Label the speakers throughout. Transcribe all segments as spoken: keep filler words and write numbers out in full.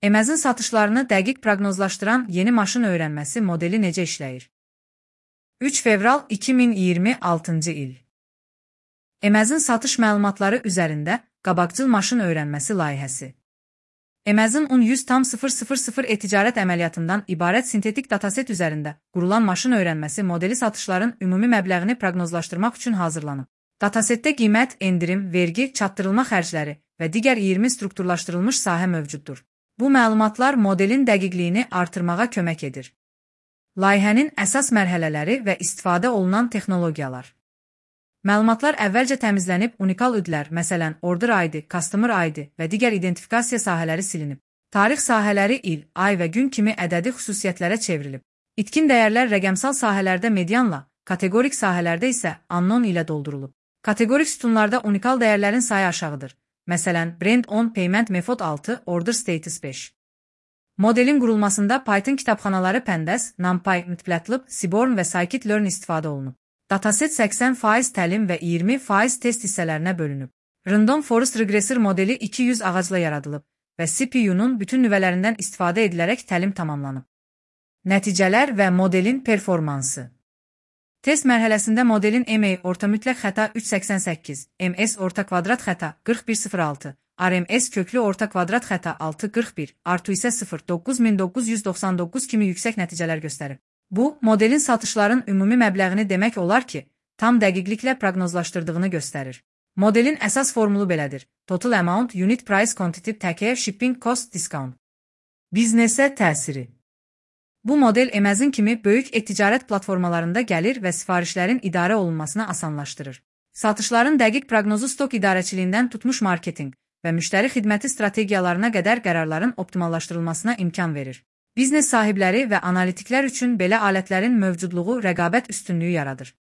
Speaker 1: Emezin satışlarını dəqiq proqnozlaşdıran yeni maşın öyrənməsi modeli necə işləyir? üç fevral iki min iyirmi altıncı il. Emezin satış məlumatları üzərində qabaqcıl maşın öyrənməsi layihəsi. Emezin on yüz tam sıfır sıfır sıfır e-ticarət əməliyyatından ibarət sintetik dataset üzərində qurulan maşın öyrənməsi modeli satışların ümumi məbləğini proqnozlaşdırmaq üçün hazırlanıb. Datasetdə qiymət, endirim, vergi, çatdırılma xərcləri və digər iyirmi strukturlaşdırılmış sahə mövcuddur. Bu məlumatlar modelin dəqiqliyini artırmağa kömək edir. Layihənin əsas mərhələləri və istifadə olunan texnologiyalar. Məlumatlar əvvəlcə təmizlənib, unikal üdlər, məsələn, order I D, customer I D və digər identifikasiya sahələri silinib. Tarix sahələri il, ay və gün kimi ədədi xüsusiyyətlərə çevrilib. İtkin dəyərlər rəqəmsal sahələrdə medianla, kateqorik sahələrdə isə unknown ilə doldurulub. Kateqorik sütunlarda unikal dəyərlərin sayı aşağıdır. Məsələn, Brand on, Payment Method altı, Order Status beş. Modelin qurulmasında Python kitabxanaları Pandas, NumPy, Matplotlib, Seaborn və Scikit-learn istifadə olunub. Dataset səksən faiz təlim və iyirmi faiz test hissələrinə bölünüb. Random Forest Regressor modeli iki yüz ağacla yaradılıb və C P U-nun bütün nüvələrindən istifadə edilərək təlim tamamlanıb. Nəticələr və modelin performansı. Test mərhələsində modelin M A orta mütləq xəta üç səksən səkkiz, M S orta kvadrat xəta qırx bir sıfır altı, R M S köklü orta kvadrat xəta altı qırx bir, R two isə sıfır doqquz min doqquz yüz doxsan doqquz kimi yüksək nəticələr göstərib. Bu, modelin satışların ümumi məbləğini demək olar ki, tam dəqiqliklə proqnozlaşdırdığını göstərir. Modelin əsas formulu belədir. Total amount, unit price, quantity, take, shipping cost, discount. Biznesə təsiri. Bu model Emezin kimi böyük e-ticarət platformalarında gəlir və sifarişlərin idarə olunmasını asanlaşdırır. Satışların dəqiq proqnozu stok idarəçiliyindən tutmuş marketinq və müştəri xidməti strategiyalarına qədər qərarların optimallaşdırılmasına imkan verir. Biznes sahibləri və analitiklər üçün belə alətlərin mövcudluğu rəqabət üstünlüyü yaradır.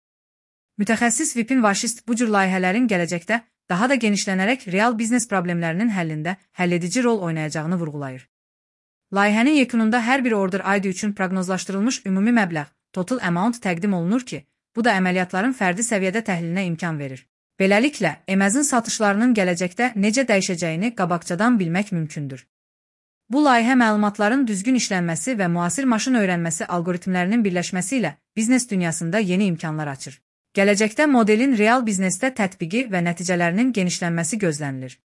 Speaker 1: Mütəxəssis Vipin Vaşist bu cür layihələrin gələcəkdə daha da genişlənərək real biznes problemlərinin həllində həlledici rol oynayacağını vurğulayır. Layihənin yekununda hər bir order I D üçün proqnozlaşdırılmış ümumi məbləğ, total amount təqdim olunur ki, bu da əməliyyatların fərdi səviyyədə təhlilinə imkan verir. Beləliklə, Emezin satışlarının gələcəkdə necə dəyişəcəyini qabaqcadan bilmək mümkündür. Bu layihə məlumatların düzgün işlənməsi və müasir maşın öyrənməsi algoritmlərinin birləşməsi ilə biznes dünyasında yeni imkanlar açır. Gələcəkdə modelin real biznesdə tətbiqi və nəticələrinin genişlənməsi gözlənilir.